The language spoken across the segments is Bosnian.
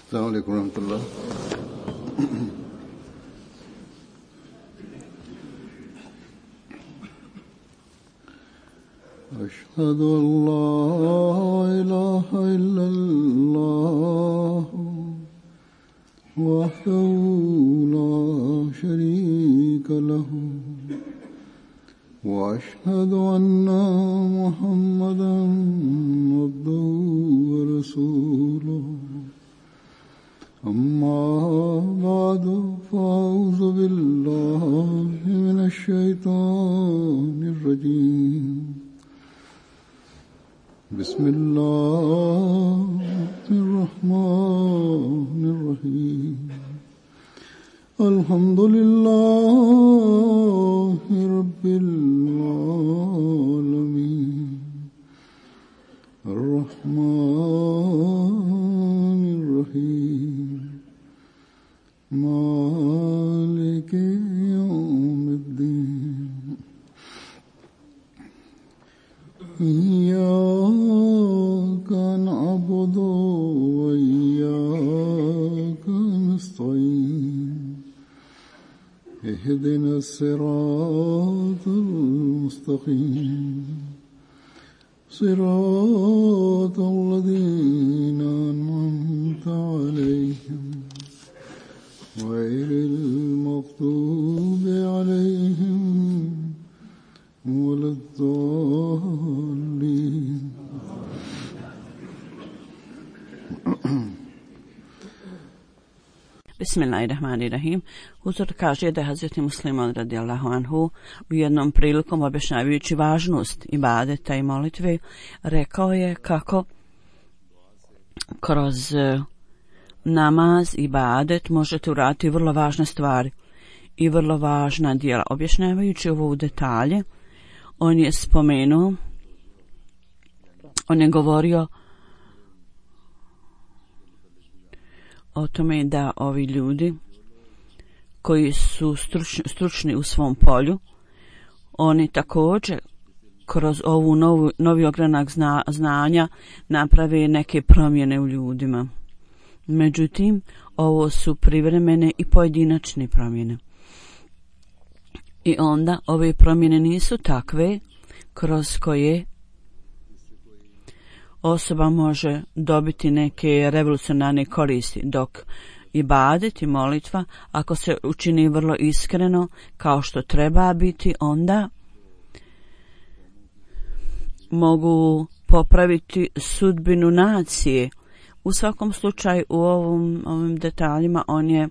السلام عليكم ورحمة الله. أشهد أن لا إله إلا الله وحده لا شريك له وأشهد أن محمدا عبده ورسوله أما بعد فأعوذ بالله من الشيطان الرجيم بسم الله الرحمن الرحيم الحمد لله رب العالمين الرحمن الرحيم مالك يوم الدين إياك نعبد وإياك نستعين اهدنا الصراط المستقيم صراط الذين أنعمت عليهم غير المغضوب عليهم ولا الضالين. Bismillahirrahmanirrahim. Uzor kaže da je Hazreti Musliman radijallahu anhu u jednom prilikom objašnjavajući važnost ibadeta i molitve rekao je kako kroz namaz i ibadet možete uraditi vrlo važne stvari i vrlo važna djela. Objašnjavajući ovo u detalje, on je spomenuo, on je govorio o tome da ovi ljudi koji su stručni u svom polju, oni također kroz ovu novi ogranak znanja naprave neke promjene u ljudima. Međutim, ovo su privremene i pojedinačne promjene. I onda ove promjene nisu takve kroz koje osoba može dobiti neke revolucionarne koristi, dok ibadet i molitva, ako se učini vrlo iskreno kao što treba biti, onda mogu popraviti sudbinu nacije. U svakom slučaju u ovim detaljima on je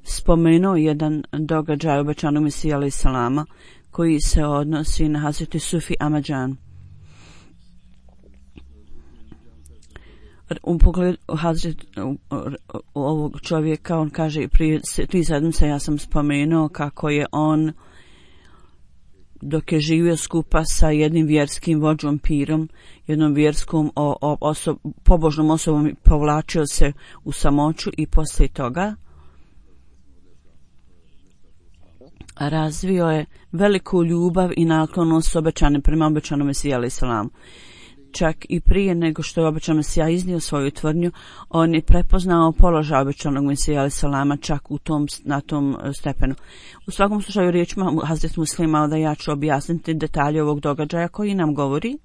spomenuo jedan događaj obećanog Mesija alejhi selama koji se odnosi na Hazreti Sufi Amadžan. U pogledu ovog čovjeka, on kaže, prije 3 sedmice ja sam spomenuo kako je on, dok je živio skupa sa jednim vjerskim vođom pirom, jednom vjerskom pobožnom osobom, povlačio se u samoću i poslije toga razvio je veliku ljubav i naklonost prema obećanom Mesiji alejhi selam. Čak i prije nego što je obećan Mesija iznio svoju tvrdnju, on je prepoznao položaj obećanog Mesija alejhi selama čak na tom stepenu. U svakom slučaju riječima Hazret Muslima da ja ću objasniti detalje ovog događaja koji nam govori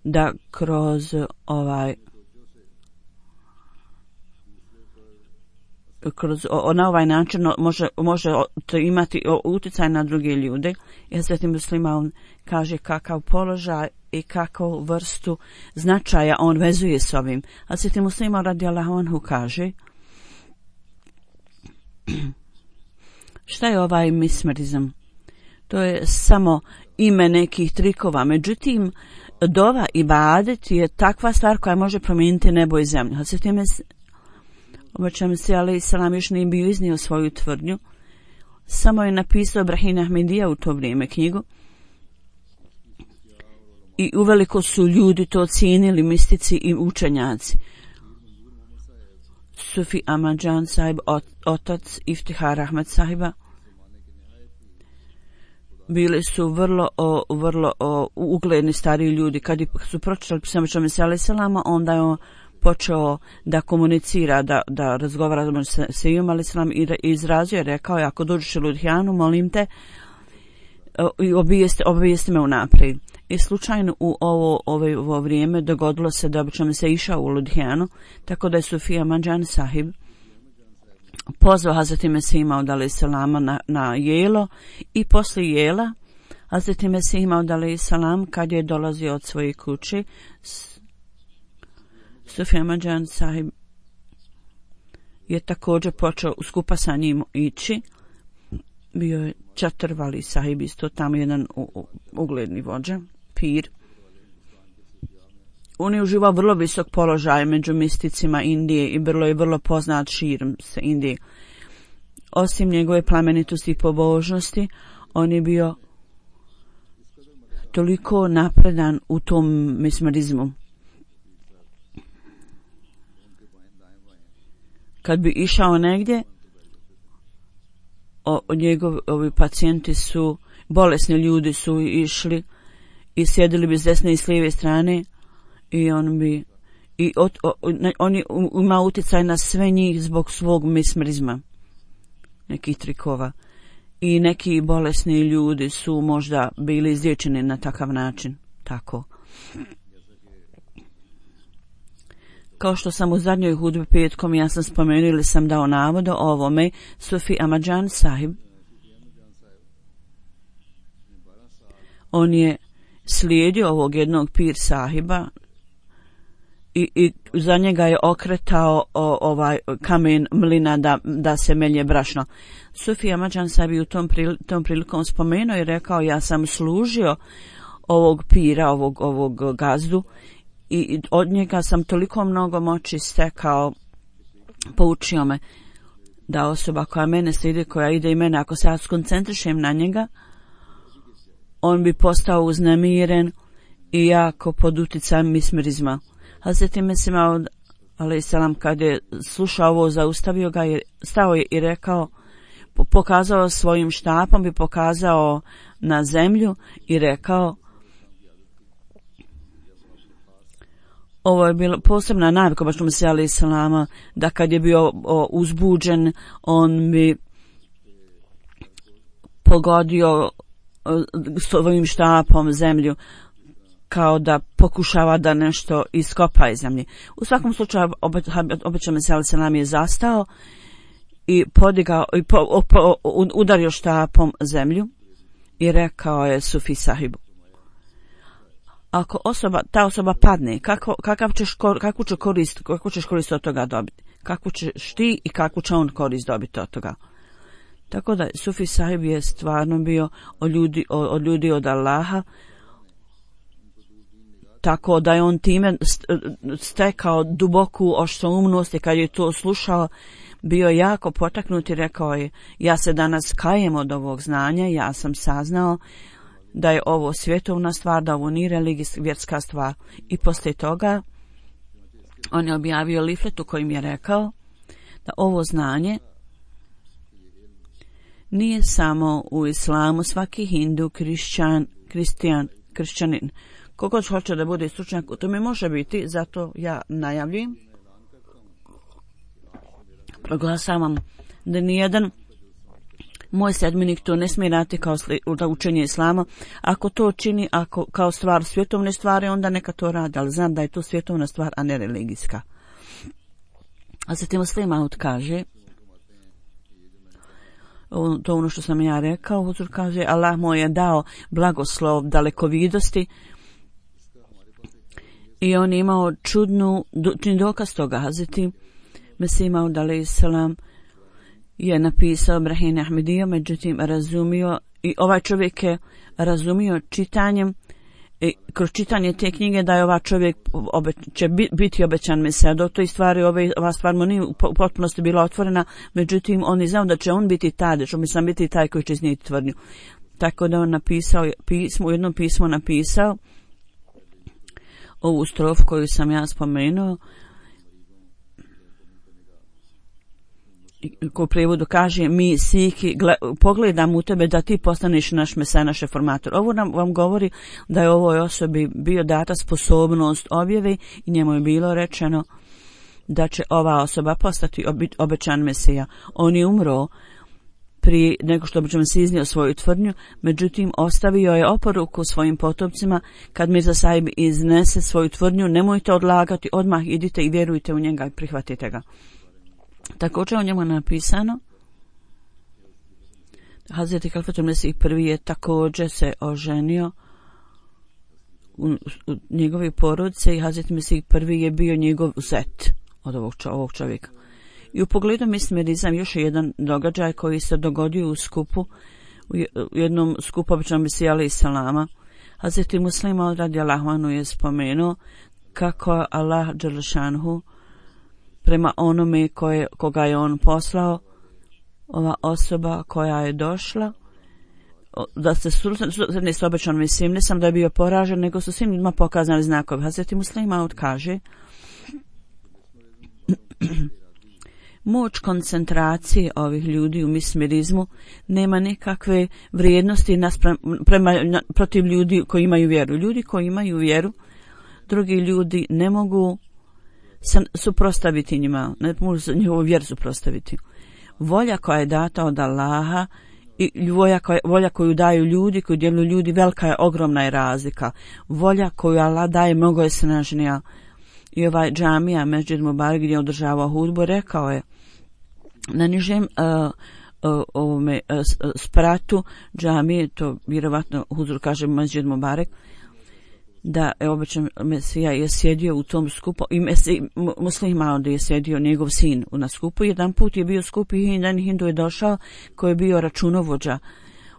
da kroz na ovaj način može imati utjecaj na druge ljude. I Hazret Muslima on kaže kakav položaj i kakvu vrstu značaja on vezuje s ovim. Hazret Muslima radijallahu anhu kaže šta je ovaj mismerizam? To je samo ime nekih trikova. Međutim, dova ibadet je takva stvar koja može promijeniti nebo i zemlju. Hazret obećan Mesija alejhi selam još nije bio iznio svoju tvrdnju. Samo je napisao Ibrahim Ahmedija u to vrijeme knjigu. I uveliko su ljudi to cijenili, mistici i učenjaci. Sufi Amadžan sahib, otac Iftihar Ahmed sahiba, bili su vrlo ugledni stariji ljudi. Kad su pročitali pismo Mesija alejhi selama, onda je počeo da komunicira, da razgovara sa Iom alejselam i izrazio je, rekao je, ako dođeš u Ludhijanu, molim te, i obavijesti me unaprijed. I slučajno u ovo vrijeme dogodilo se da obično se išao u Ludhijanu, tako da je Sufi Ahmad Jan Sahib pozvao Hazreti Mesih Maud alejselama na jelo i poslije jela Hazreti Mesih Maud alejselam kad je dolazio od svoje kuće, Sufi Ahmad Jan Sahib je također počeo skupa sa njim ići. Bio je Čatrvali Sahib, isto tamo jedan ugledni vođa, pir. On je uživao vrlo visok položaj među misticima Indije i vrlo poznat širom se Indije. Osim njegove plemenitosti i pobožnosti, on je bio toliko napredan u tom mesmerizmu. Kad bi išao negdje, ovi pacijenti su, bolesni ljudi su išli i sjedili bi s desne i s lijeve strane i on je imao utjecaj na sve njih zbog svog mesmerizma, nekih trikova. I neki bolesni ljudi su možda bili izliječeni na takav način. Tako. Kao što sam u zadnjoj hudbi petkom, ja sam spomenuo ili sam dao navod o ovome, Sufi Ahmad Jan Sahib, on je slijedio ovog jednog pir sahiba i za njega je okretao ovaj kamen mlina da se melje brašno. Sufi Ahmad Jan Sahib u tom prilikom spomenuo i rekao, ja sam služio ovog pira, ovog gazdu, i od njega sam toliko mnogo moći stekao, poučio me da osoba koja mene slijedi, koja ide i mene, ako se ja skoncentrišem na njega, on bi postao uznemiren i jako pod utjecajem mesmerizma. Hazreti Mesih Maud alejselam kad je slušao ovo, zaustavio ga, stao je i rekao, pokazao svojim štapom i pokazao na zemlju i rekao, ovo je bila posebna navika baš Mesih alejselama, da kad je bio uzbuđen, on bi pogodio svojim štapom zemlju, kao da pokušava da nešto iskopa iz zemlje. U svakom slučaju obećao Mesih alejselam je zastao i podigao i udario štapom zemlju i rekao je Sufi Sahibu, ako ta osoba padne, kakvu ćeš korist od toga dobiti? Kakvu ćeš ti i kakvu će on korist dobiti od toga? Tako da Sufi Sahib je stvarno bio od ljudi od Allaha, tako da je on time stekao duboku oštroumnost i kad je to slušao, bio jako potaknut i rekao je, ja se danas kajem od ovog znanja, ja sam saznao da je ovo svjetovna stvar, da ovo nije vjerska stvar. I poslije toga on je objavio liflet u kojim je rekao da ovo znanje nije samo u islamu, svaki hindu, kršćanin, kogod hoće da bude stručnjak, to mi može biti, zato ja najavljujem, proglasavam da nijedan moj sedmenik to ne smije raditi kao učenje islama. Ako to čini kao stvar svjetovne stvari, onda neka to radi, ali znam da je to svjetovna stvar, a ne religijska. A zatim Muslim Maud kaže, to ono što sam ja rekao, Huzur kaže, Allah mu je dao blagoslov dalekovidosti i on je imao čudni dokaz toga. Hazreti Mesih Maud alejselam je napisao Brahine Ahmedija, međutim razumio, i ovaj čovjek je razumio čitanjem, kroz čitanje te knjige, da je ovaj čovjek će biti obećan Mesija. Do toj stvari ova stvar mu nije u potpunosti bila otvorena, međutim on je znao da će on biti taj, da će on biti taj koji će iznijeti tvrdnju. Tako da on napisao u jednom pismu napisao ovu strofu koju sam ja spomenuo, ko u prijevodu kaže, mi siki pogledam u tebe da ti postaneš naš Mesija, naš reformator. Ovo vam govori da je ovoj osobi bio data sposobnost objave i njemu je bilo rečeno da će ova osoba postati obećan Mesija. On je umro prije nego što bi se iznio svoju tvrdnju, međutim ostavio je oporuku svojim potopcima: kad Mirza Sahib iznese svoju tvrdnju, nemojte odlagati, odmah idite i vjerujte u njega i prihvatite ga. Također o njemu je napisano: Hazreti Kalifatul Mesih prvi je također se oženio u njegovi porodice i Hazreti Mesih prvi je bio njegov zet od ovog čovjeka. I u pogledu mismerizam još je jedan događaj koji se dogodio u skupu, u jednom skupu običnom Mesija alejhi selama. Hazreti Muslima radijallahu anhu je spomenuo kako Allah dželle šanhu prema onome koga je on poslao, ova osoba koja je došla, da se susretne s obećanim Mesijom, ne sam da je bio poražen, nego su svim ljudima pokazali znakovi. Hazreti Muslima kaže: moć koncentracije ovih ljudi u mismerizmu nema nikakve vrijednosti protiv ljudi koji imaju vjeru. Ljudi koji imaju vjeru, drugi ljudi ne mogu suprotstaviti njima, ne mogu njihovu vjeru suprotstaviti. Volja koja je data od Allaha i volja koju daju ljudi, koju djeluju ljudi, velika je, ogromna je razlika. Volja koju Allah daje mnogo je snažnija. I ovaj džamija Mesdžid Mubarek gdje je održavao hudbu rekao je na nižem spratu džamije, to vjerovatno huzur kaže Mesdžid Mubarek, da je obećan Mesija je sjedio u tom skupu i Muslima onda je sjedio njegov sin na skupu. Jedan put je bio skup i jedan hindu je došao koji je bio računovođa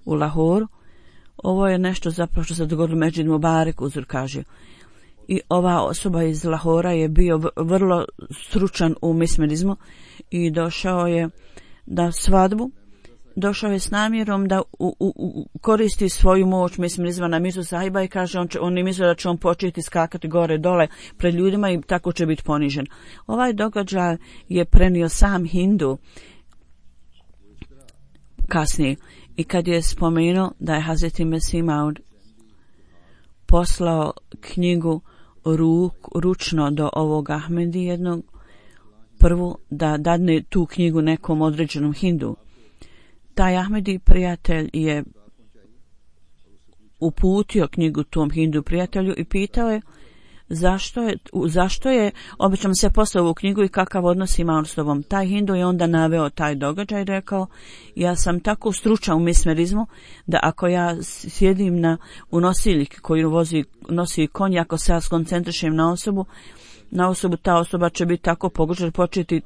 u Lahoru. Ovo je nešto zapravo što se dogodilo Mesdžid Mubarek, uzor kaže. I ova osoba iz Lahora je bio vrlo stručan u mismerizmu i došao je na svadbu. Došao je s namjerom da koristi svoju moć mismerizma na Mirzu Sahiba i kaže on je mislio da će on početi skakati gore dole pred ljudima i tako će biti ponižen. Ovaj događaj je prenio sam hindu kasnije i kad je spomenuo da je Hazreti Mesih Maud poslao knjigu ručno do ovog Ahmedi jednog, prvu da dadne tu knjigu nekom određenom hindu. Taj Ahmedi prijatelj je uputio knjigu tom hindu prijatelju i pitao je zašto je obično se poslao ovu knjigu i kakav odnos ima on s tobom. Taj hindu je onda naveo taj događaj i rekao: ja sam tako stručan u mismerizmu da ako ja sjedim u nosiljki koji nosi konj, ako se ja skoncentrišem na osobu, ta osoba će biti tako pogođena, početi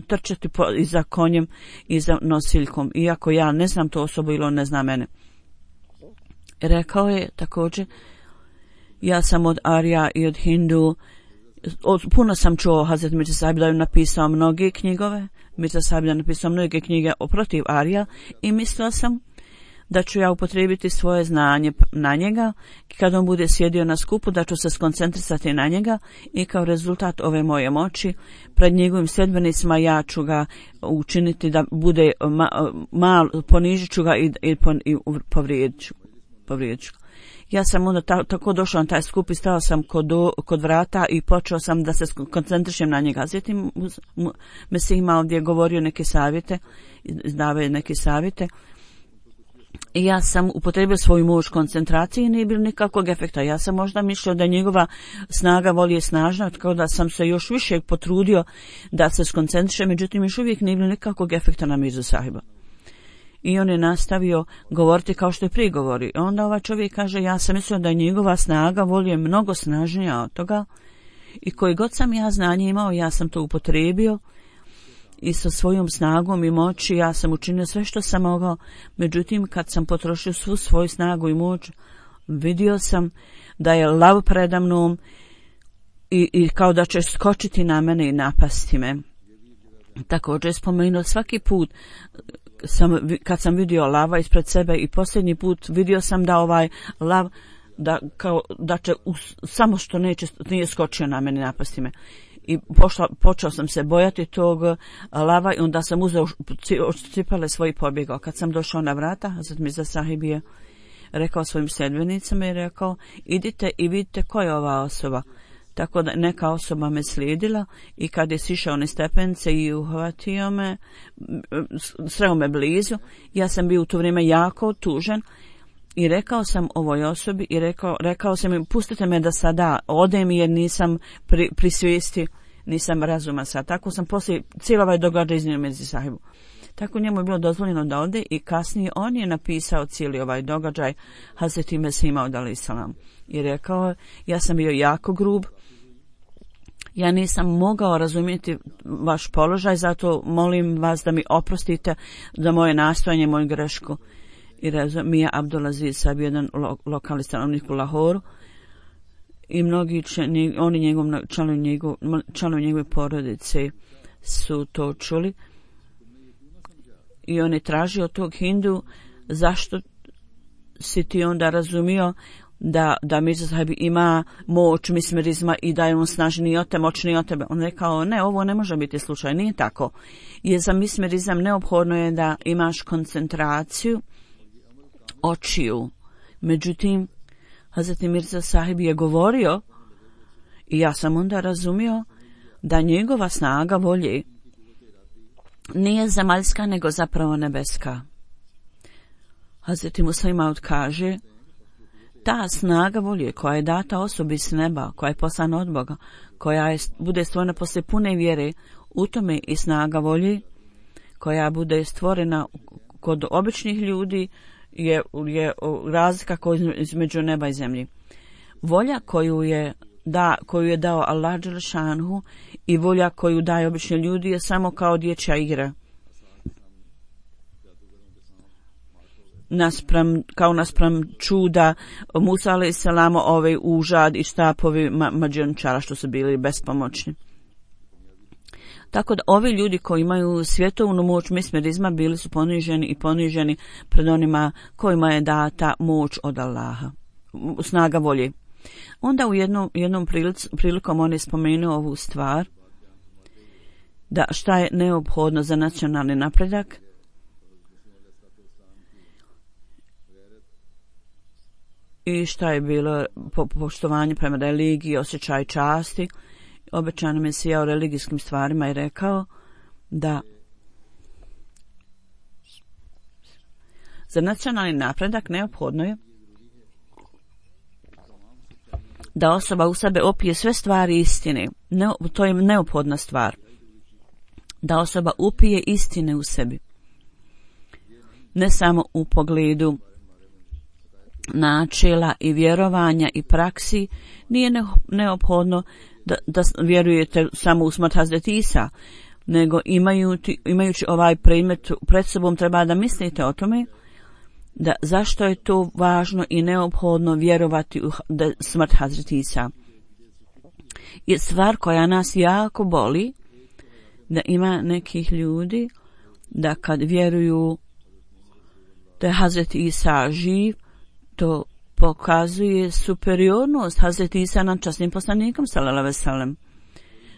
trčati i za konjem i za nosiljkom, iako ja ne znam tu osobu ili on ne zna mene. Rekao je također: ja sam od Arija i od Hindu, puno sam čuo Hazret Mirza Sahib da je napisao mnoge knjigove, Mirza Sahib da je napisao mnoge knjige protiv Arija i mislila sam da ću ja upotrijebiti svoje znanje na njega, kad on bude sjedio na skupu, da ću se skoncentrisati na njega i kao rezultat ove moje moći pred njegovim sljedbenicima ja ću ga učiniti da bude ponižit ću ga i povrijedit ću. Ja sam onda tako došao na taj skup i stao sam kod vrata i počeo sam da se koncentrišem na njega. Zatim Mesih ima ovdje govorio neke savjete, izdavaju neke savjete. I ja sam upotrebio svoju moć koncentracije i nije bilo nikakvog efekta. Ja sam možda mislio da njegova snaga voli je snažna, tako da sam se još više potrudio da se skoncentriše, međutim još uvijek nije bilo nikakvog efekta na Mirzu Sahiba. I on je nastavio govoriti kao što je prije govorio. Onda ovaj čovjek kaže: ja sam mislio da je njegova snaga voli je mnogo snažnija od toga i koji god sam ja znanje imao, ja sam to upotrijebio i sa svojom snagom i moći ja sam učinio sve što sam mogao. Međutim, kad sam potrošio svu svoju snagu i moć, vidio sam da je lav predamnom i kao da će skočiti na mene i napasti me. Također je spomenuo svaki put kad sam vidio lava ispred sebe i posljednji put vidio sam da ovaj lav da će samo što nije skočio na mene i napasti me. I počeo sam se bojati tog lava i onda sam uzeo cipele svoje pobjegao. Kad sam došao na vrata, Hazret Mirza Sahib je rekao svojim sljedbenicama i rekao: idite i vidite ko je ova osoba. Tako da neka osoba me slijedila i kad je sišao na stepence i uhvatio me, sreo me blizu, ja sam bio u to vrijeme jako tužan i rekao sam ovoj osobi i rekao sam im pustite me da sada odem jer nisam pri svijesti, nisam razuma sad. Tako sam poslije cijelo ovaj događaj iznio Mirzi sahibu. Tako njemu je bilo dozvoljeno da ode i kasnije on je napisao cijeli ovaj događaj Hazreti Mesih Maud alejhi selam i rekao ja sam bio jako grub, ja nisam mogao razumjeti vaš položaj, zato molim vas da mi oprostite za moje nastojanje, moju grešku. I Mija Abdulaziz sad jedan lokalni stanovnik u Lahoru i mnogi članovi njegove porodice su to čuli. I on je tražio od tog Hindu zašto si ti onda razumio da Mirza Sahib ima moć mismerizma i da je on snažniji od te, moćniji od tebe. On rekao ne, ovo ne može biti slučaj, nije tako. Jer za mismerizam neophodno je da imaš koncentraciju očiju. Međutim, Hazreti Mirza Sahib je govorio i ja sam onda razumio da njegova snaga volje nije zemaljska, nego zapravo nebeska. Hazreti Muslih Maud kaže, ta snaga volje koja je data osobi s neba, koja je poslana od Boga, koja bude stvorena poslije pune vjere, u tome i snaga volje, koja bude stvorena kod običnih ljudi, je razlika između neba i zemlji. Volja koju je dao Allah dželešanhu i volja koju daje obični ljudi je samo kao dječja igra. Naspram čuda Musa alejhi selam, ove užad i štapovi mađioničara što su bili bespomoćni. Tako da ovi ljudi koji imaju svjetovnu moć mesmerizma bili su poniženi pred onima kojima je data moć od Allaha, snaga volje. Onda u jednom prilikom on je spomenuo ovu stvar, da šta je neophodno za nacionalni napredak. I šta je bilo poštovanje prema religiji, osjećaj časti. Obećani Mesija o religijskim stvarima je rekao da za nacionalni napredak neophodno je da osoba u sebe opije sve stvari istine. To je neophodna stvar. Da osoba upije istine u sebi. Ne samo u pogledu načela i vjerovanja i praksi, nije neophodno da vjerujete samo u smrt Hazreti Isa, nego imajući ovaj predmet pred sobom treba da mislite o tome da zašto je to važno i neophodno vjerovati u smrt Hazreti Isa. Je stvar koja nas jako boli, da ima nekih ljudi da kad vjeruju da je Hazreti Isa živ, to pokazuje superiornost Hazreti Isa nad časnim poslanikom sallallahu alejhi ve sellem.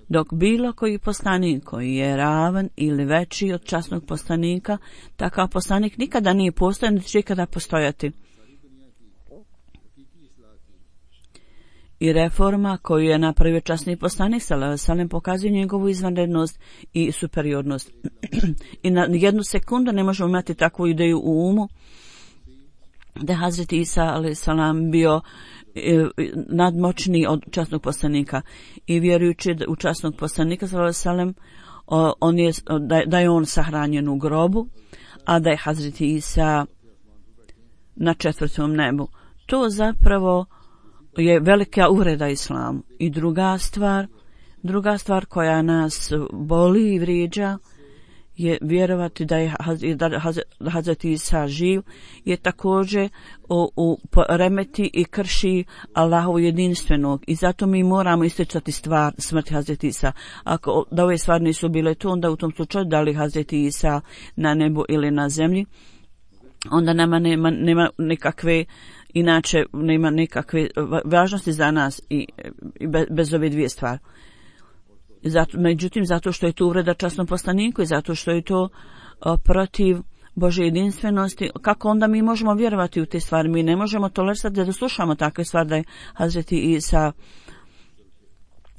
Dok bilo koji poslanik koji je ravan ili veći od časnog poslanika, takav poslanik nikada nije postojao niti će ikada postojati. I reforma koju je napravio časni poslanik sallallahu alejhi ve sellem pokazuje njegovu izvanrednost i superiornost. I na jednu sekundu ne možemo imati takvu ideju u umu da je Hazreti Isa alejhi selam bio nadmoćniji od časnog poslanika. I vjerujući u časnog poslanika sallallahu alejhi ve sellem, da je on sahranjen u grobu, a da je Hazreti Isa na 4. nebu. To zapravo je velika uvreda islamu. I druga stvar koja nas boli i vrijeđa je vjerovati da je Hazreti Isa živ, je također remeti i krši Allahovu jedinstvenog. I zato mi moramo isticati stvar smrti Hazreti Isa. Ako da ove stvari nisu bile tu, onda u tom slučaju da li Hazreti Isa na nebu ili na zemlji, onda nema nikakve, inače nema nikakve važnosti za nas i bez ove dvije stvari. Međutim, zato što je to uvreda časnom poslaniku i zato što je to protiv Božje jedinstvenosti, kako onda mi možemo vjerovati u te stvari? Mi ne možemo tolerirati da slušamo takve stvari da je Hazreti Isa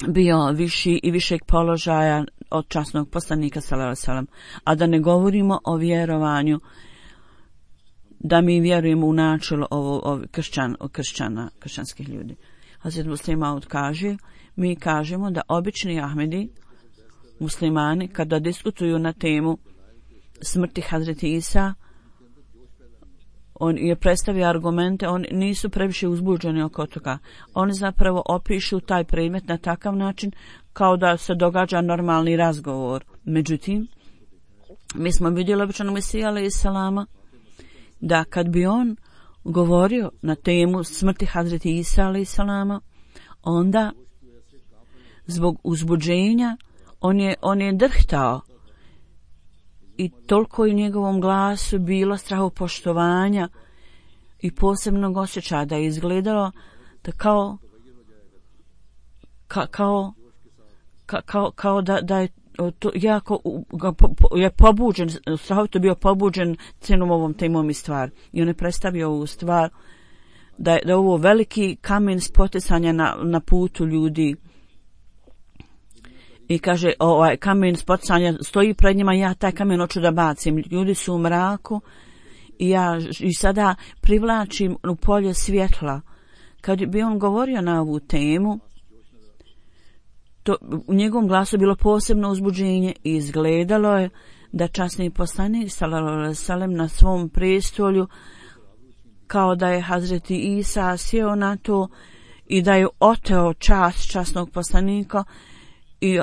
bio viši i višeg položaja od časnog poslanika sallallahu alejhi ve sellem, a da ne govorimo o vjerovanju, da mi vjerujemo u načelo kršćanskih ljudi. Hazret Muslim Maud kaže, mi kažemo da obični Ahmedi, muslimani, kada diskutuju na temu smrti Hazreti Isa, on je predstavio argumente, oni nisu previše uzbuđeni oko toga. Oni zapravo opišu taj predmet na takav način kao da se događa normalni razgovor. Međutim, mi smo vidjeli običanog Mesija alejhi selama da kad bi on govorio na temu smrti Hazreti Isa alejhi selama, onda zbog uzbuđenja on je drhtao i toliko u njegovom glasu bilo strahopoštovanja i posebnog osjećaja da je izgledalo da kao da je to jako je pobuđen, strahovito bio pobuđen cijelom ovom temom i stvar. I on je predstavio ovu stvar da je ovo veliki kamen spoticanja na putu ljudi. I kaže, ovaj kamen spoticanja stoji pred njima, ja taj kamen hoću da bacim. Ljudi su u mraku i sada privlačim u polje svjetla. Kad bi on govorio na ovu temu, u njegovom glasu bilo posebno uzbuđenje i izgledalo je da časni poslanik sallallahu alejhi ve sellem na svom prestolju, kao da je Hazreti Isa sjeo na to i da je oteo čast časnog poslanika i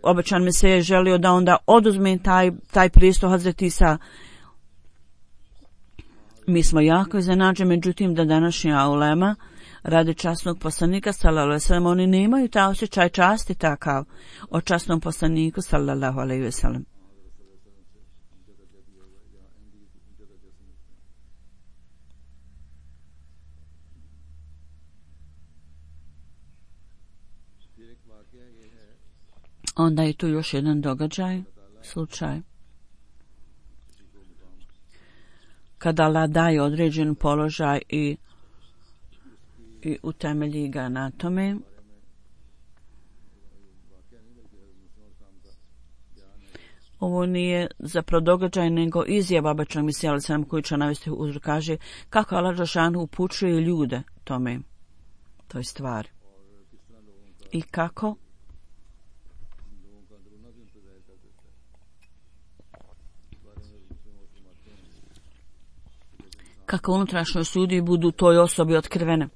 obećan mi se je želio da onda oduzme taj prestol Hazreti Isa. Mi smo jako iznenađeni, međutim da današnja ulema radi časnog poslanika sallallahu alejhi ve sellem, oni nemaju taj osjećaj časti takav o časnom poslaniku sallallahu alejhi ve sellem. Onda je tu još jedan događaj, slučaj. Kada Allah daje određen položaj i utemelji ga na tome, ovo nije zapravo događaj nego izjava obećanog Mesija alejhi selam koji će navesti uzrok, kaže kako Allah dželešanu upućuje ljude tome, toj stvari. I kako unutrašnjoj sudi budu toj osobi otkrivene.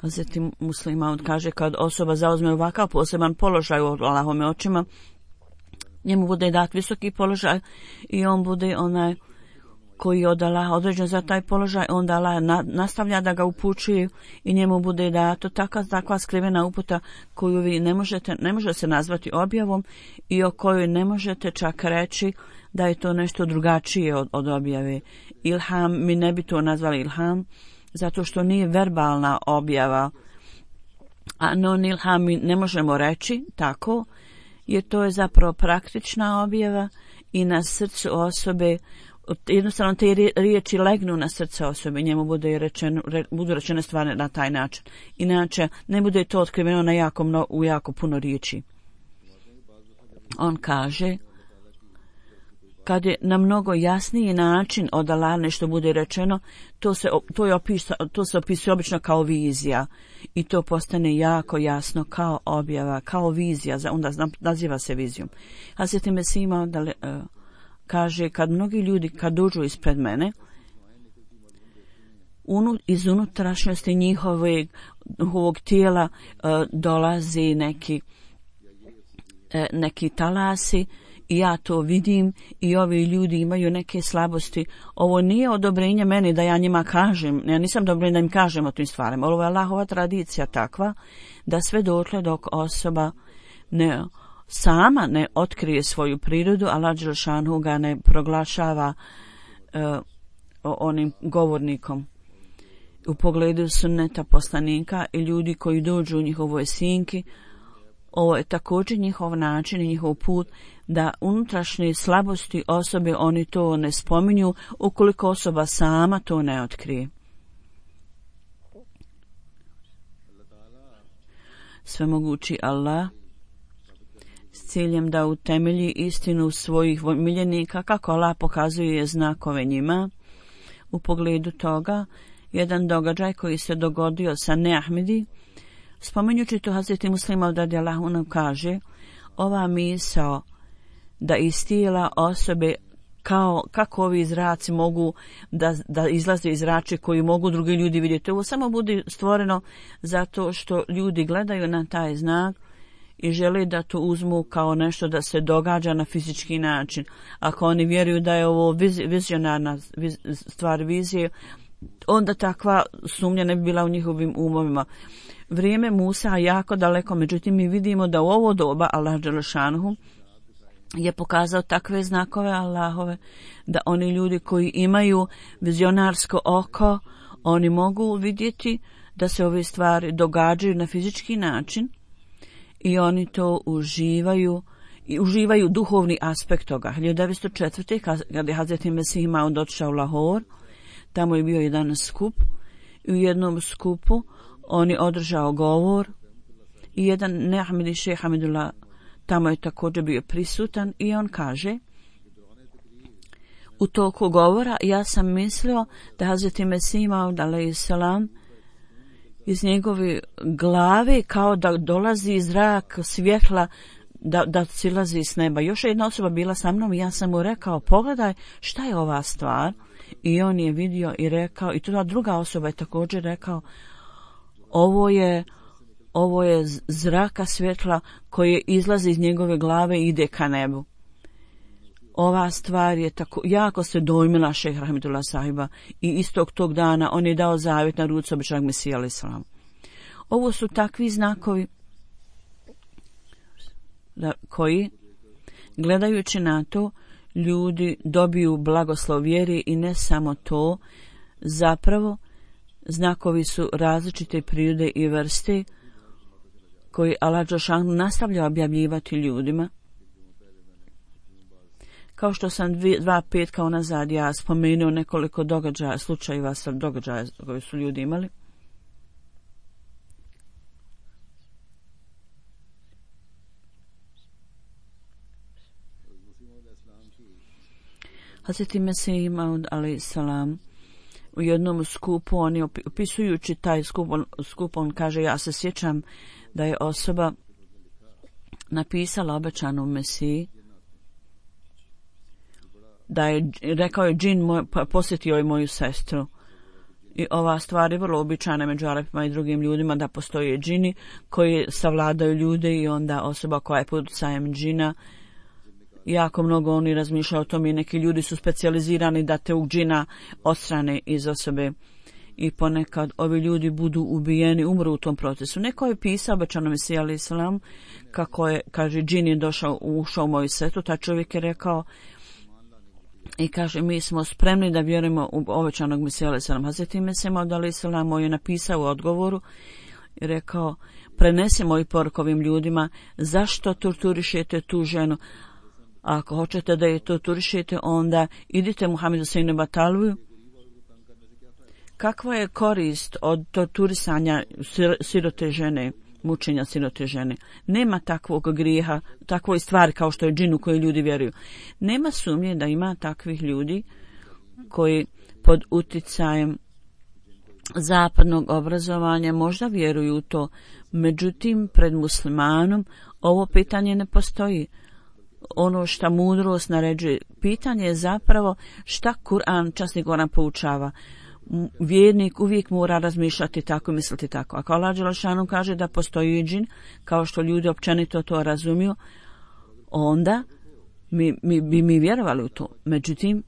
Zatim Muslima kaže kad osoba zauzme ovakav poseban položaj u Allahovim očima, njemu bude dat visoki položaj i on bude onaj koji je od Allaha određen za taj položaj, onda Allah nastavlja da ga upućuje i njemu bude dato takva skrivena uputa koju vi ne može se nazvati objavom i o kojoj ne možete čak reći da je to nešto drugačije od objave. Ilham, mi ne bi to nazvali ilham, zato što nije verbalna objava, a non ilham mi ne možemo reći tako, jer to je zapravo praktična objava i na srcu osobe, jednostavno te riječi legnu na srce osobe, njemu budu rečene stvari na taj način. Inače, ne bude to otkriveno u jako puno riječi. On kaže, kad je na mnogo jasniji način od Allaha nešto bude rečeno, to se opisuje obično kao vizija i to postane jako jasno kao objava, kao vizija, onda naziva se vizijom. Hazret Mesih kaže kad mnogi ljudi kad dođu ispred mene, iz unutrašnjosti njihovog tijela dolazi neki talasi i ja to vidim i ovi ljudi imaju neke slabosti. Ovo nije odobrenje meni da ja njima kažem, ja nisam odobrenje da im kažem o tim stvarima. Ovo je Allahova tradicija takva da sve dotle dok osoba sama ne otkrije svoju prirodu, Allah dželešanu ga ne proglašava onim govornikom. U pogledu sunneta poslanika i ljudi koji dođu u njihovoj sinki, ovo je također njihov način i njihov put da unutrašnje slabosti osobe oni to ne spominju ukoliko osoba sama to ne svemogući Allah s ciljem da utemelji istinu svojih miljenika kako Allah pokazuje znakove njima. U pogledu toga, jedan događaj koji se dogodio sa Neahmedi, spominjući to Hazreti Muslima radijallahu anhu kaže, ova misao da iz tijela osobe kako ovi zraci mogu da izlaze iz zrače koji mogu drugi ljudi vidjeti. Ovo samo bude stvoreno zato što ljudi gledaju na taj znak i žele da to uzmu kao nešto da se događa na fizički način. Ako oni vjeruju da je ovo vizionarna stvar vizije, onda takva sumnja ne bi bila u njihovim umovima. Vrijeme Musa je jako daleko, međutim mi vidimo da u ovo doba Allah dželešanuhu je pokazao takve znakove Allahove da oni ljudi koji imaju vizionarsko oko, oni mogu vidjeti da se ove stvari događaju na fizički način i oni to uživaju duhovni aspekt toga. 1904. kada je Hazreti Mesih Maud otišao u Lahore, tamo je bio jedan skup i u jednom skupu on je održao govor i jedan Neahmedi šejh Hamidullah tamo je također bio prisutan i on kaže, u toku govora ja sam mislio da Hazreti Mesih Maud alejselam iz njegove glave kao da dolazi zrak svjetla da silazi s neba. Još jedna osoba bila sa mnom i ja sam mu rekao, pogledaj šta je ova stvar, i on je vidio i rekao, i ta druga osoba je također rekao, ovo je zraka svjetla koje izlazi iz njegove glave i ide ka nebu. Ova stvar je tako, jako se dojmila šejh Rahmetullah sahiba i istog tog dana on je dao zavjet na ruci običnog Mesija alejhi selam. Ovo su takvi znakovi koji, gledajući na to, ljudi dobiju blagoslov vjeri i ne samo to, zapravo znakovi su različite prirode i vrste koji Allah dželešanu nastavlja objavljivati ljudima. Kao što sam 2 petka unazad ja spomenuo nekoliko događaja, slučajeva sa događaja koje su ljudi imali. Hazreti Mesih Maud alejselam u jednom skupu, on je opisujući taj skup, on kaže, ja se sjećam da je osoba napisala obećanom Mesiji, da je, rekao je džin posjetio je moju sestru. I ova stvar je vrlo običajna među Arapima i drugim ljudima, da postoje džini koji savladaju ljude i onda osoba koja je pod utjecajem džina, jako mnogo oni razmišljaju o tome i neki ljudi su specijalizirani da te džina odstrane iz osobe i ponekad ovi ljudi budu ubijeni, umru u tom procesu. Neko je pisao obećanom Mesiji alejhi selam kako je, kaže, džin je ušao u moju sestru, taj čovjek je rekao i kaže, mi smo spremni da vjerujemo u obećanog Mesija alejhi selam. Hazreti Mesih Maud alejhi selam je napisao u odgovoru i rekao, prenesi moju poruku ovim ljudima, zašto torturišete tu ženu? Ako hoćete da je torturišete, onda idite Muhammedu Sejnu Batalviju. Kakva je korist od torturisanja sirote žene, mučenja sirote žene? Nema takvog grijeha, takvoj stvari kao što je džin u koji ljudi vjeruju. Nema sumnje da ima takvih ljudi koji pod utjecajem zapadnog obrazovanja možda vjeruju u to. Međutim, pred muslimanom ovo pitanje ne postoji. Ono što mudrost naređuje, pitanje je zapravo šta Kur'an, časni Kur'an poučava. Vjernik uvijek mora razmišljati tako, misliti tako. Ako Allah dželešanu kaže da postoji džin, kao što ljudi općenito to razumiju, onda mi vjerovali u to. Međutim,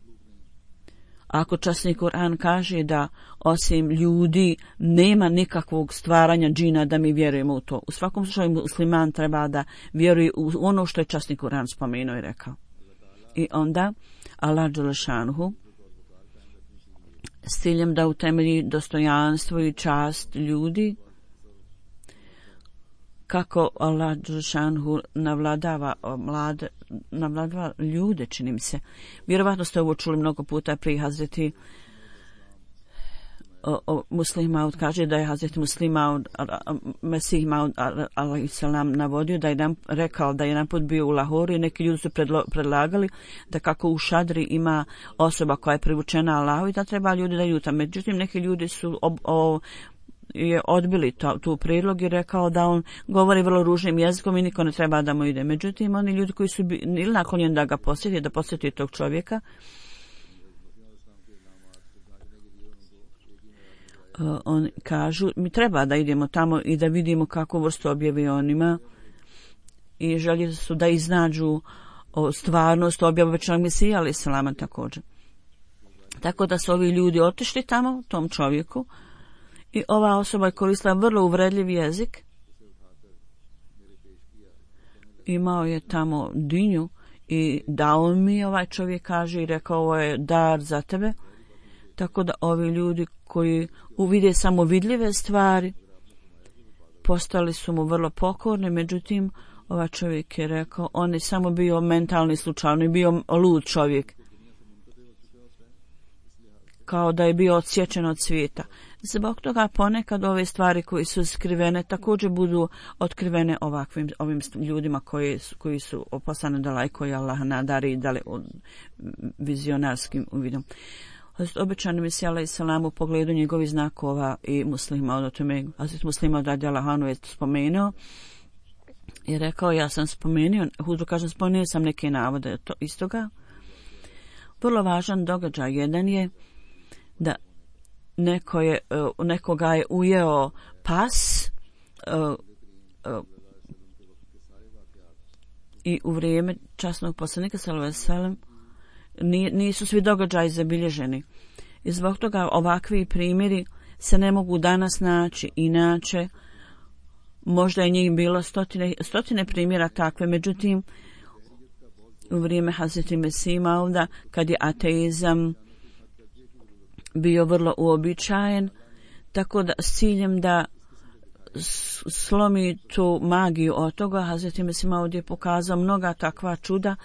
ako časni Kur'an kaže da osim ljudi nema nikakvog stvaranja džina, da mi vjerujemo u to. U svakom slučaju musliman treba da vjeruje u ono što je časni Kur'an spomenuo i rekao. I onda Allah dželešanuhu s ciljem da utemelji dostojanstvo i čast ljudi, kako Allah dželešanuhu navladava ljude, čini mi se. Vjerovatno ste ovo čuli mnogo puta pri Hazreti Muslih Maud kaže da je Hazreti Muslih Maud, Mesih Maud alejselam navodio da je rekao da je jedan put bio u Lahoru i neki ljudi su predlagali da kako u šadri ima osoba koja je privučena Allahu i da treba ljudi da idu tamo. Međutim, neki ljudi su je odbili tu prijedlog i rekao da on govori vrlo ružnim jezikom i niko ne treba da mu ide. Međutim, oni ljudi koji su ili naklonjeni da ga posjeti, da posjeti tog čovjeka, oni kažu mi treba da idemo tamo i da vidimo kakvu vrstu objave on ima i željeli su da iznađu stvarnost objave obećanog Mesija alejselama također. Tako da su ovi ljudi otišli tamo tom čovjeku i ova osoba je koristila vrlo uvredljiv jezik. Imao je tamo dinju i dao mi, ovaj čovjek kaže, i rekao ovo je dar za tebe. Tako da ovi ljudi koji uvide samo vidljive stvari postali su mu vrlo pokorni, međutim ovaj čovjek je rekao on je samo bio mentalni slučaj, on je bio lud čovjek, kao da je bio odsječen od svijeta. Zbog toga ponekad ove stvari koje su skrivene također budu otkrivene ovim ljudima koji su poslani da lajko i Allah nadari vizionarskim uvidom. Obećani Mesija alejselam u pogledu njegovih znakova i Muslima od tome, Hazret Muslima radijallahu anhu je spomenuo i rekao ja sam spomenuo, Huzur kaže spomenuo sam neke navode to istoga. Vrlo važan događaj jedan je da nekoga je ujeo pas i u vrijeme časnog poslanika sallallahu alejhi ve sellem nisu svi događaji zabilježeni. I zbog toga ovakvi primjeri se ne mogu danas naći, inače možda je njih bilo stotine primjera takve, međutim u vrijeme Hazreti Mesih Mauda kad je ateizam bio vrlo uobičajen, tako da s ciljem da slomi tu magiju od toga, Hazreti Mesih Maud je pokazao mnoga takva čuda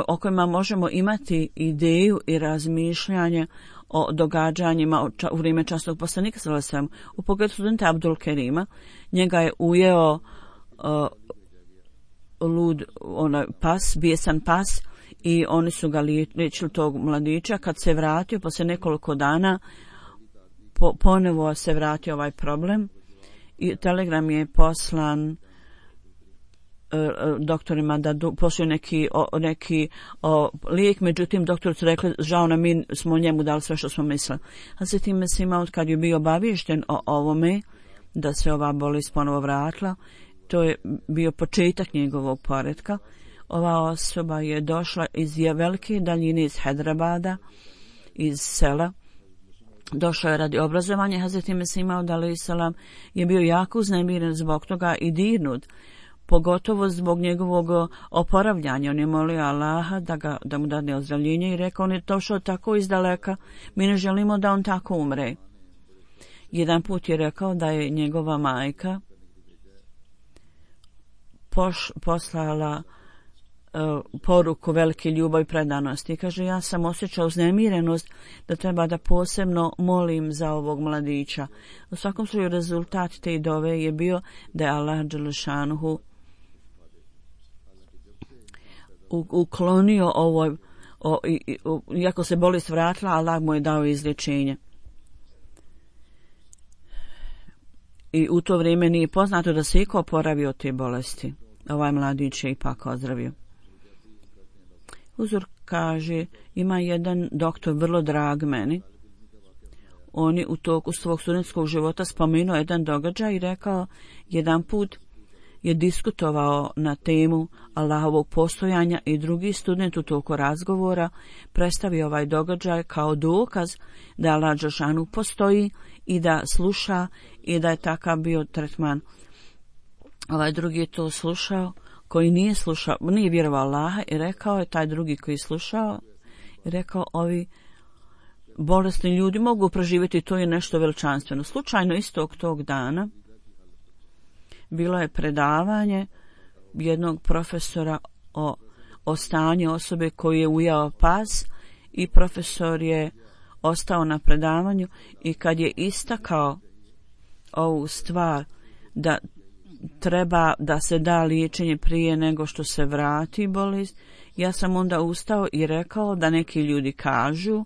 o kojima možemo imati ideju i razmišljanje o događanjima u vrijeme časnog poslanika sallallahu alejhi ve sellem. U pogledu studenta Abdul Kerima, njega je ujeo lud pas, bijesan pas, i oni su ga liječili tog mladića. Kad se vratio poslije nekoliko dana ponovo se vratio ovaj problem i telegram je poslan doktorima da pošli neki lijek, međutim doktori su rekli žao nam, mi smo njemu dali sve što smo mislili. A se time se imao kad je bio obaviješten o ovome da se ova bolest ponovo vratila, to je bio početak njegovog poretka. Ova osoba je došla iz velike daljine, iz Hedrabada, iz sela. Došao je radi obrazovanja. Hazreti Mesih Maud alejselam je bio jako uznemiren zbog toga i dirnut, pogotovo zbog njegovog oporavljanja. On je molio Allaha da mu dadne ozdravljenje i rekao on je došao tako izdaleka, mi ne želimo da on tako umre. Jedan put je rekao da je njegova majka poslala poruku velike ljubavi i predanosti. Kaže, ja sam osjećao uznemirenost da treba da posebno molim za ovog mladića. U svakom slučaju rezultat te dove je bio da je Allah dželešanuhu uklonio iako se bolest vratila, Allah mu je dao izlječenje. I u to vrijeme nije poznato da se iko oporavio od te bolesti. Ovaj mladić je ipak ozdravio. Huzur kaže, ima jedan doktor vrlo drag meni. On je u toku svog studentskog života spomenuo jedan događaj i rekao, jedan put je diskutovao na temu Allahovog postojanja i drugi student u toku razgovora predstavio ovaj događaj kao dokaz da Allah dželešanu postoji i da sluša i da je takav bio tretman. Ovaj drugi je to slušao, koji nije vjerovao Allaha, i rekao je taj drugi koji je slušao, i rekao ovi bolesni ljudi mogu proživjeti, to je nešto veličanstveno. Slučajno istog tog dana bilo je predavanje jednog profesora o stanju osobe koji je ujao pas i profesor je ostao na predavanju i kad je istakao ovu stvar da treba da se da liječenje prije nego što se vrati bolest, ja sam onda ustao i rekao da neki ljudi kažu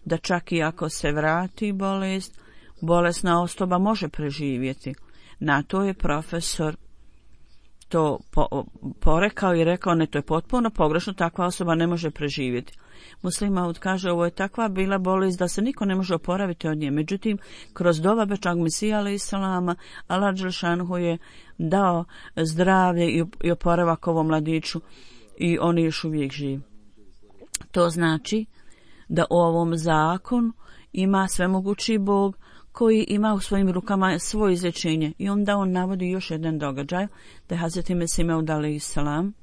da čak i ako se vrati bolest, bolesna osoba može preživjeti. Na to je profesor to porekao i rekao, ne, to je potpuno pogrešno, takva osoba ne može preživjeti. Muslim Maud kaže, ovo je takva bila bolest da se niko ne može oporaviti od nje. Međutim, kroz dova Bečag Mesija alaih salama, Allah dželšanhu je dao zdravlje i oporavak ovom mladiću i on je još uvijek živ. To znači da u ovom zakonu ima svemogući Bog koji ima u svojim rukama svoje izlječenje. I onda on navodi još jedan događaj, da je Hazreti Mesih Maud alaih salam,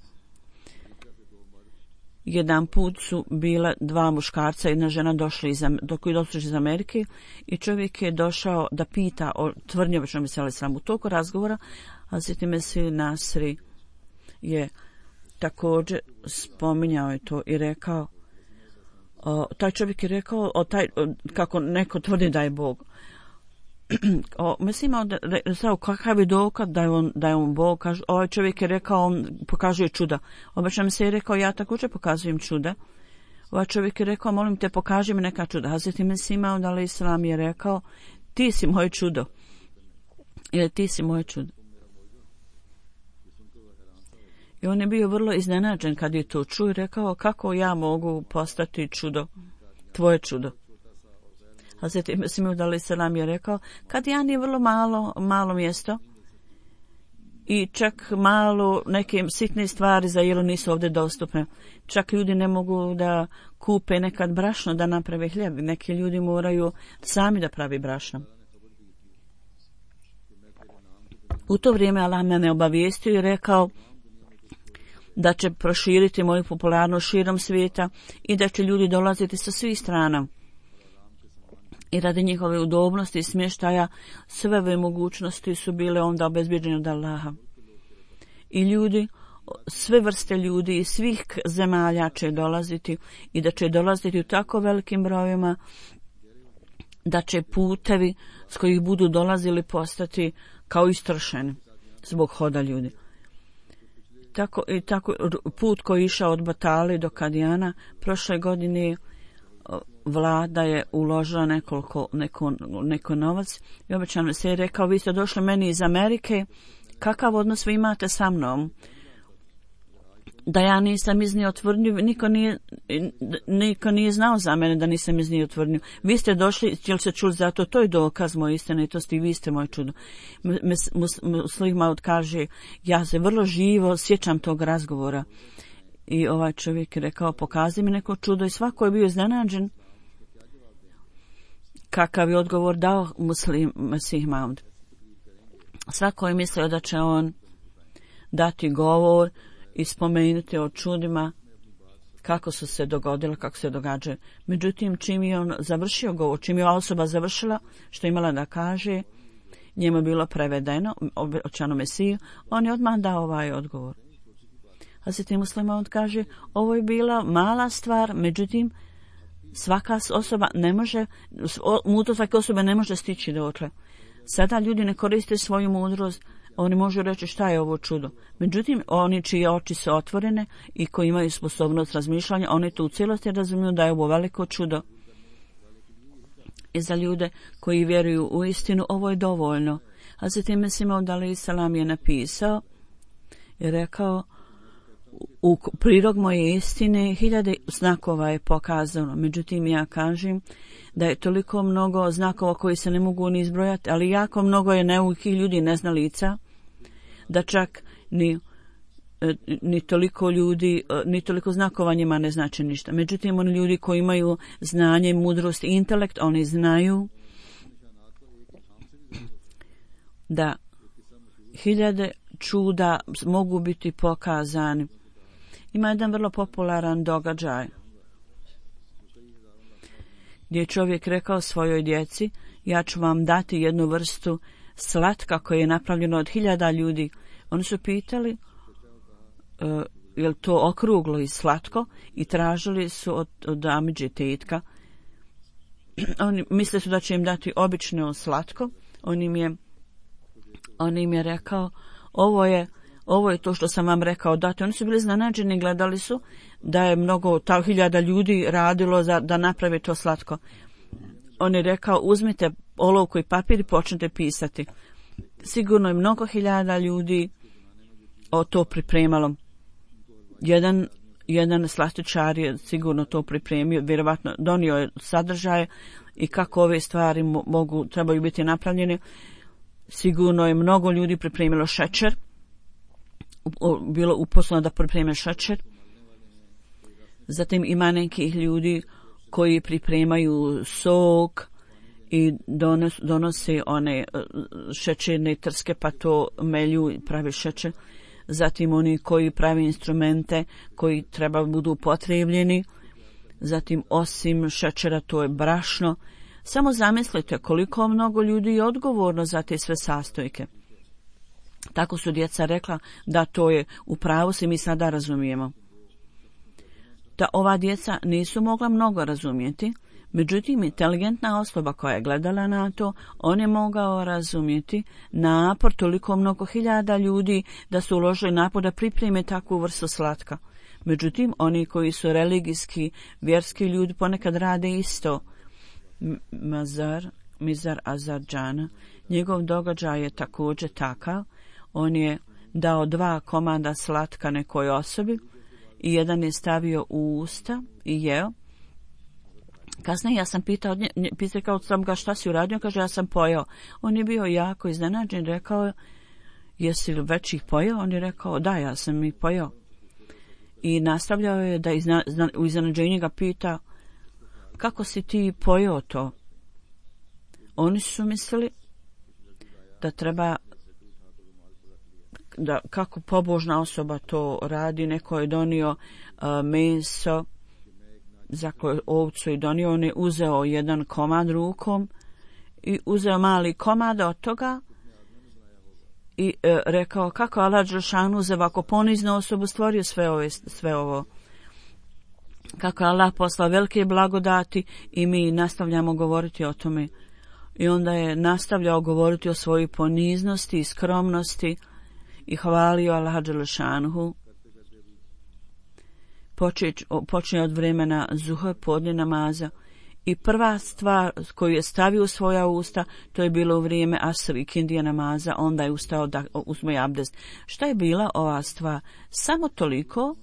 jedan put su bila dva muškarca, jedna žena došli iz Amerike i čovjek je došao da pita o tvrdnji običnog Mesija alaih salam. U toku razgovora Hazreti Mesih Nasri je također spominjao je to i rekao, taj čovjek je rekao kako neko tvrdi da je Bog. Mislim da kakav je dokaz da je on Bog. Ovaj čovjek je rekao, on pokazuje čuda. Obično mi se je rekao, ja također pokazujem čuda. Ovaj čovjek je rekao, molim te, pokaži mi neka čuda. Hazreti Mesih Maud alaih salam je rekao, ti si moje čudo. Ili ti si moje čudo. I on je bio vrlo iznenađen kad je to čuo i rekao, kako ja mogu postati čudo, tvoje čudo. Hazreti Mesih Maud alaih salam je rekao, kad ja nije vrlo malo mjesto i čak malo neke sitne stvari za jelo nisu ovdje dostupne. Čak ljudi ne mogu da kupe nekad brašno da naprave hljeb. Neki ljudi moraju sami da pravi brašno. U to vrijeme Allah mene obavijestio i rekao da će proširiti moju popularnost širom svijeta i da će ljudi dolaziti sa svih strana. I radi njihove udobnosti i smještaja sve ove mogućnosti su bile onda obezbjeđene od Allaha. I ljudi, sve vrste ljudi iz svih zemalja će dolaziti i da će dolaziti u tako velikim brojima da će putevi s kojih budu dolazili postati kao istršeni zbog hoda ljudi. Tako put koji je išao od Batali do Kadijana, prošle godine vlada je uložila neko novac i obećano se je rekao, vi ste došli meni iz Amerike, kakav odnos vi imate sa mnom? Da ja nisam iznio tvrdnju, niko nije znao za mene da nisam iznio tvrdnju. Vi ste došli, jel se čuli za to, to je dokaz moje istinitosti i vi ste moje čudo. Muslim Maud kaže, ja se vrlo živo sjećam tog razgovora. I ovaj čovjek je rekao, pokazi mi neko čudo i svako je bio iznenađen kakav je odgovor dao Muslim Mesih Maud. Svako je mislio da će on dati govor i spomenuti o čudima kako su se dogodilo, kako se događaju. Međutim, čim je on završio govor, čim je osoba završila što imala da kaže, njemu je bilo prevedeno, obećano Mesiju, on je odmah dao ovaj odgovor. Hazreti Muslim Maud kaže, ovo je bila mala stvar, međutim, svaka osoba ne može, mudrost svake osobe ne može stići dotle. Sada ljudi ne koriste svoju mudrost, oni možu reći šta je ovo čudo. Međutim, oni čije oči su otvorene i koji imaju sposobnost razmišljanja, oni to u cijelosti razumiju da je ovo veliko čudo. I za ljude koji vjeruju u istinu, ovo je dovoljno. Hazreti Mesih Maud alaih salam je napisao i rekao, u prilog moje istine 1000 znakova je pokazano. Međutim, ja kažem da je toliko mnogo znakova koji se ne mogu ni izbrojati, ali jako mnogo je neukih ljudi, neznalica, da čak ni toliko ljudi, ni toliko znakova njima ne znači ništa. Međutim, oni ljudi koji imaju znanje, mudrost i intelekt, oni znaju da 1000 čuda mogu biti pokazani. Ima jedan vrlo popularan događaj gdje je čovjek rekao svojoj djeci, ja ću vam dati jednu vrstu slatka koje je napravljeno od 1000 ljudi. Oni su pitali je li to okruglo i slatko i tražili su od amidže tetka oni misle su da će im dati obično slatko. On im je rekao, ovo je to što sam vam rekao dati. Oni su bili iznenađeni, gledali su da je mnogo, ta 1000 ljudi radilo da naprave to slatko. On je rekao, uzmite olovku i papir i počnete pisati. Sigurno je mnogo 1000 ljudi to pripremalo. Jedan slastičar je sigurno to pripremio, vjerovatno donio je sadržaje i kako ove stvari trebaju biti napravljene. Sigurno je mnogo ljudi pripremilo šećer, bilo uposleno da pripreme šećer. Zatim ima nekih ljudi koji pripremaju sok i donose one šećerne trske pa to melju i pravi šećer. Zatim oni koji pravi instrumente koji treba budu upotrebljeni. Zatim osim šećera to je brašno. Samo zamislite koliko mnogo ljudi je odgovorno za te sve sastojke. Tako su djeca rekla da to je u pravu se mi sada razumijemo. Da ova djeca nisu mogla mnogo razumjeti, međutim inteligentna osoba koja je gledala na to, on je mogao razumjeti napor toliko mnogo 1000 ljudi da su uložili napor da pripreme takvu vrstu slatka. Međutim, oni koji su religijski, vjerski ljudi ponekad rade isto. Mizar Azarđana, njegov događaj je također takav. On je dao 2 komada slatka nekoj osobi i jedan je stavio u usta i jeo. Kasnije ja sam pitao sam ga šta si uradio, kaže ja sam pojeo. On je bio jako iznenađen, rekao jesi li već ih pojeo? On je rekao da, ja sam ih pojeo. I nastavljao je da u iznenađenju ga pita kako si ti pojeo to? Oni su mislili da treba da kako pobožna osoba to radi. Neko je donio meso za koju ovcu i donio, on je uzeo jedan komad rukom i uzeo mali komad od toga i rekao kako Allah Đelešanu za ovako poniznu osobu stvorio sve ovo. Kako Allah poslao velike blagodati i mi nastavljamo govoriti o tome. I onda je nastavljao govoriti o svojoj poniznosti i skromnosti i hvalio Allaha Đelešanu. Počne od vremena zuha podne namaza i prva stvar koju je stavio u svoja usta, to je bilo u vrijeme asr i kindija namaza, onda je ustao da uzme abdest. Šta je bila ova stvar? Samo toliko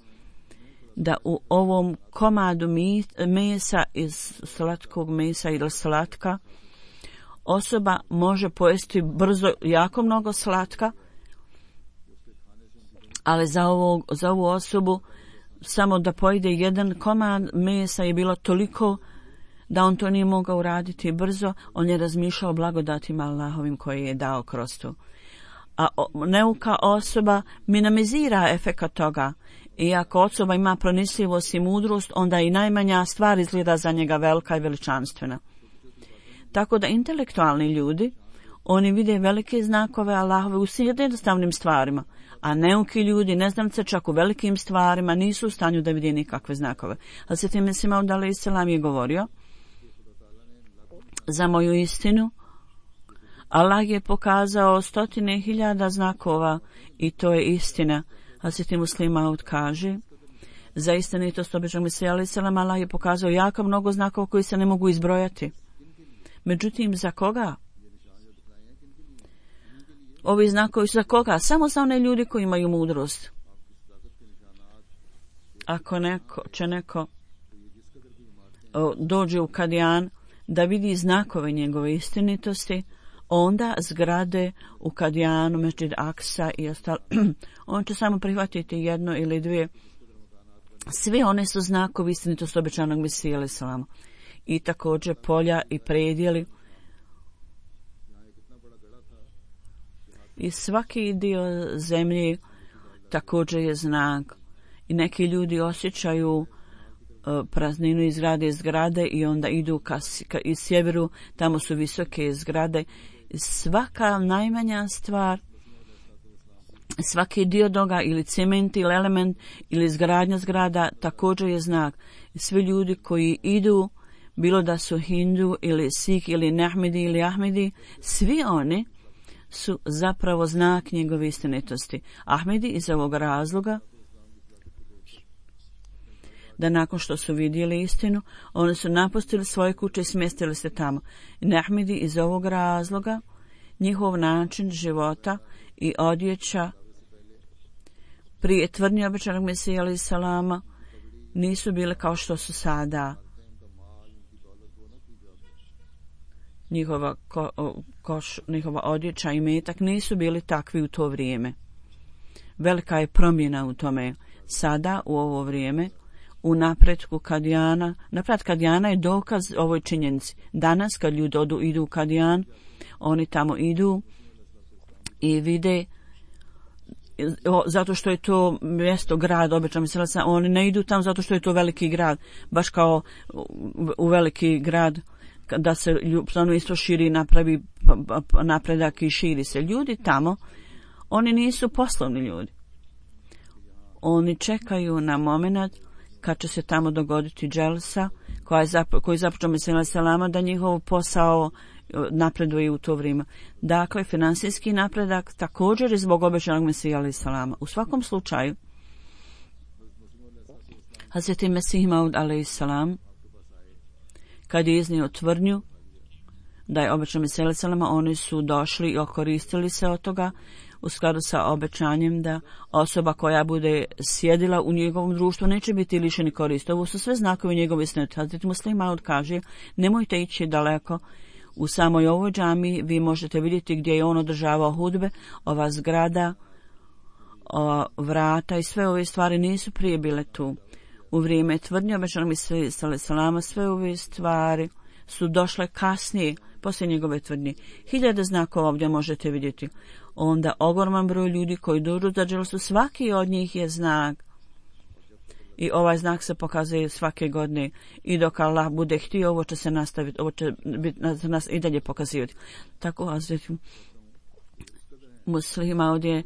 da u ovom komadu mesa iz slatkog mesa ili slatka osoba može pojesti brzo jako mnogo slatka, ali za ovu osobu samo da pojede jedan komad mesa je bilo toliko da on to nije mogao uraditi brzo. On je razmišljao o blagodatima Allahovim koje je dao kroz to. A neuka osoba minimizira efekat toga. I ako osoba ima pronicljivost i mudrost, onda i najmanja stvar izgleda za njega velika i veličanstvena. Tako da intelektualni ljudi, oni vide velike znakove Allahove u svim jednostavnim stvarima, a neuki ljudi, neznamce čak u velikim stvarima, nisu u stanju da vide nikakve znakove. Hazreti Mesih Maud alejhi selam je govorio, za moju istinu, Allah je pokazao 100.000 znakova i to je istina. Hazreti Muslim Maud kaže, za istinitost obećanog Mesija alejhi selam Allah je pokazao jako mnogo znakova koji se ne mogu izbrojati. Međutim, za koga? Ovi znakovi su za koga? Samo za one ljudi koji imaju mudrost. Ako neko dođe u Kadijan da vidi znakove njegove istinitosti, onda zgrade u Kadijanu, Mesdžid Aksa i ostalo, on će samo prihvatiti 1 ili 2. Sve one su znakovi istinitosti obećanog Mesija alejhi selam. I također polja i predjeli. I svaki dio zemlje također je znak. I neki ljudi osjećaju prazninu iz zgrade i onda idu iz sjeveru, tamo su visoke zgrade. Svaka najmanja stvar, svaki dio toga ili cement ili element ili izgradnja zgrada također je znak. Svi ljudi koji idu bilo da su Hindu ili Sikh ili Nahmedi ili Ahmedi, svi oni su zapravo znak njegove istinitosti. Ahmedi iz ovog razloga da nakon što su vidjeli istinu, oni su napustili svoje kuće i smjestili se tamo. Nahmedi iz ovog razloga, njihov način života i odjeća prije tvrdnje obećanog Mesija alejhi salama nisu bile kao što su sada. Njihova odjeća i metak nisu bili takvi u to vrijeme. Velika je promjena u tome. Sada, u ovo vrijeme, u napretku Kadijana, napred Kadijana je dokaz ovoj činjenici. Danas, kad ljudi idu u Kadijan, oni tamo idu i vide, zato što je to mjesto, grad, obično mislilaca, oni ne idu tamo zato što je to veliki grad, baš kao u veliki grad, da se isto širi, napravi napredak i širi se. Ljudi tamo, oni nisu poslovni ljudi. Oni čekaju na moment kad će se tamo dogoditi dželsa koji započeo Mesija alejhi salama, da njihov posao napreduje u to vrijeme. Dakle, finansijski napredak također je zbog obećanog Mesija alejhi salama. U svakom slučaju, Hazreti Mesih Maud alejhi salam, kad je iznio tvrdnju da je obećan Mesija alejhi salama, oni su došli i okoristili se od toga u skladu sa obećanjem da osoba koja bude sjedila u njegovom društvu neće biti lišeni koristi. Ovo su sve znakovi njegove istinitosti. Hazreti Muslih Maud kaže, nemojte ići daleko. U samoj ovoj džamiji vi možete vidjeti gdje je on održavao hudbe, ova zgrada, ova vrata i sve ove stvari nisu prije bile tu. U vrijeme tvrdnje obećanog Mesija alejhi salama sve ove stvari su došle kasnije, poslije njegove tvrdnje. 1000 znakova ovdje možete vidjeti. Onda ogroman broj ljudi koji dođu za dželsu, svaki od njih je znak. I ovaj znak se pokazuje svake godine. I dok Allah bude htio, ovo će se nastaviti, ovo će nas i dalje pokazivati. Tako Hazreti Muslima ovdje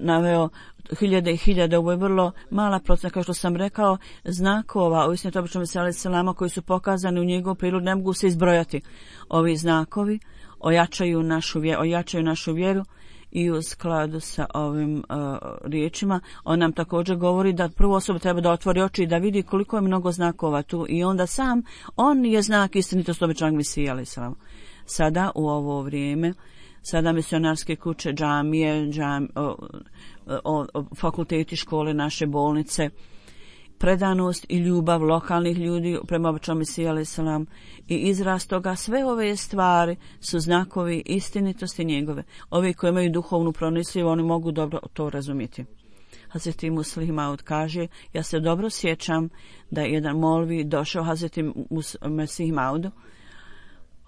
naveo 1000 i 1000, ovo je vrlo mala procena, kao što sam rekao, znakova, ovisno to obično Mesija alejhi salama koji su pokazani u njegov prilog, ne mogu se izbrojati. Ovi znakovi ojačaju našu vjeru i u skladu sa ovim riječima, on nam također govori da prvu osobu treba da otvori oči i da vidi koliko je mnogo znakova tu i onda sam, on je znak istinitosti obećanog Mesija alejhi salama. Sada u ovo vrijeme, sada misionarske kuće, džamije, fakulteti, škole, naše bolnice, predanost i ljubav lokalnih ljudi prema obećanom Mesiji alejhi salam i izraz toga, sve ove stvari su znakovi istinitosti njegove. Ovi koji imaju duhovnu pronicljivu, oni mogu dobro to razumjeti. Hazreti Muslih Maud kaže, ja se dobro sjećam da je jedan molvi došao Hazreti Mesih Maudu,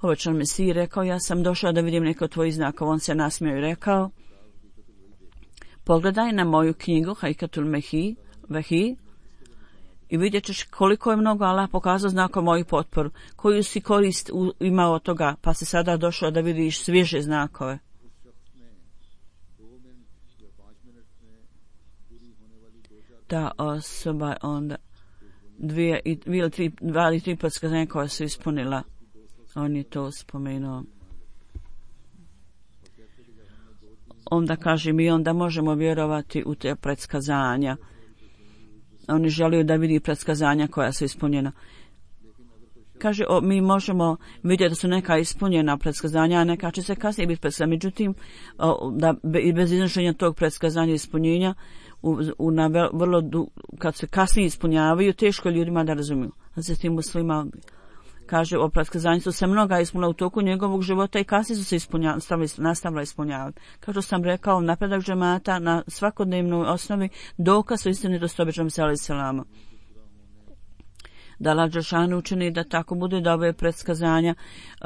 obećan Mesiji rekao, ja sam došao da vidim neko tvojih znakova. On se nasmijao i rekao, pogledaj na moju knjigu Haikatul Vehi i vidjet ćeš koliko je mnogo Allah pokazao znakova moju potporu, koju si korist imao od toga, pa si sada došao da vidiš svježe znakove. Ta osoba onda 2 ili 3 predskazanja koja su ispunila. On je to spomenuo. Onda kaže, mi onda možemo vjerovati u te predskazanja. Oni žele da vidi predskazanja koja su ispunjena. Kaže, mi možemo vidjeti da su neka ispunjena predskazanja, a neka će se kasnije biti predskazanja. Međutim, bez iznošenja tog predskazanja ispunjenja, kad se kasnije ispunjavaju, teško ljudima da razumiju. Zatim Muslima kaže, o predskazanju su se mnoga ispunila u toku njegovog života i kasnije su se nastavila ispunjavati. Kao što sam rekao, napredak džemata na svakodnevnoj osnovi dokaz su istinitosti obećanog Mesija alejhi salama. Da Allah dželešanu učini da tako bude, da ove predskazanja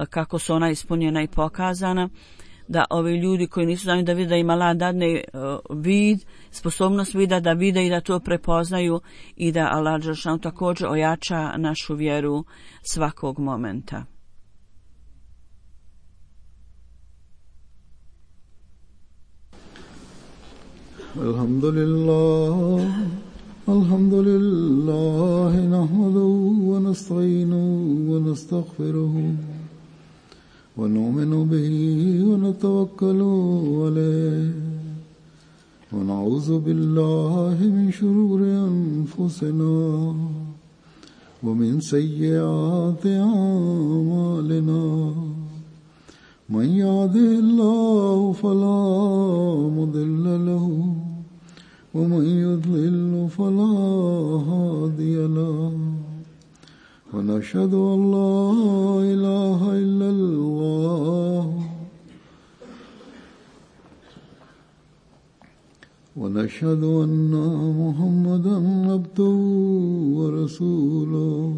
kako su ona ispunjena i pokazana, da ovi ljudi koji nisu znali da vide, da im Allah dadne vid, sposobnost vida da vide i da to prepoznaju i da Allah dželešanu također ojača našu vjeru svakog momenta. Alhamdulillah, الحمد لله نحمده ونستعينه ونستغفره ونؤمن به ونتوكل عليه ونعوذ بالله من شرور أنفسنا ومن سيئات أعمالنا من يهده الله فلا مضل له ومن يضلل فلا هادي له ونشهد أن لا إله إلا الله ونشهد أن محمدا عبده ورسوله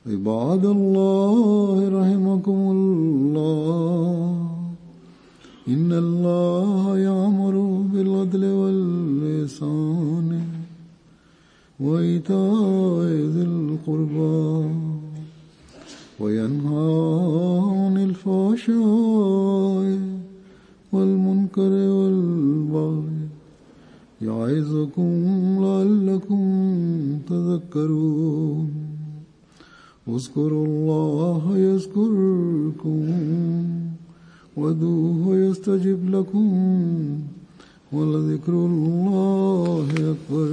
عباد الله رحمكم الله إن الله يأمر بالعدل والإحسان وإيتاء ذي القربى وينهى عن الفحشاء والمنكر والبغي يعظكم لعلكم تذكرون اذكروا الله يذكركم وادعوه يستجب لكم ولذكر الله أكبر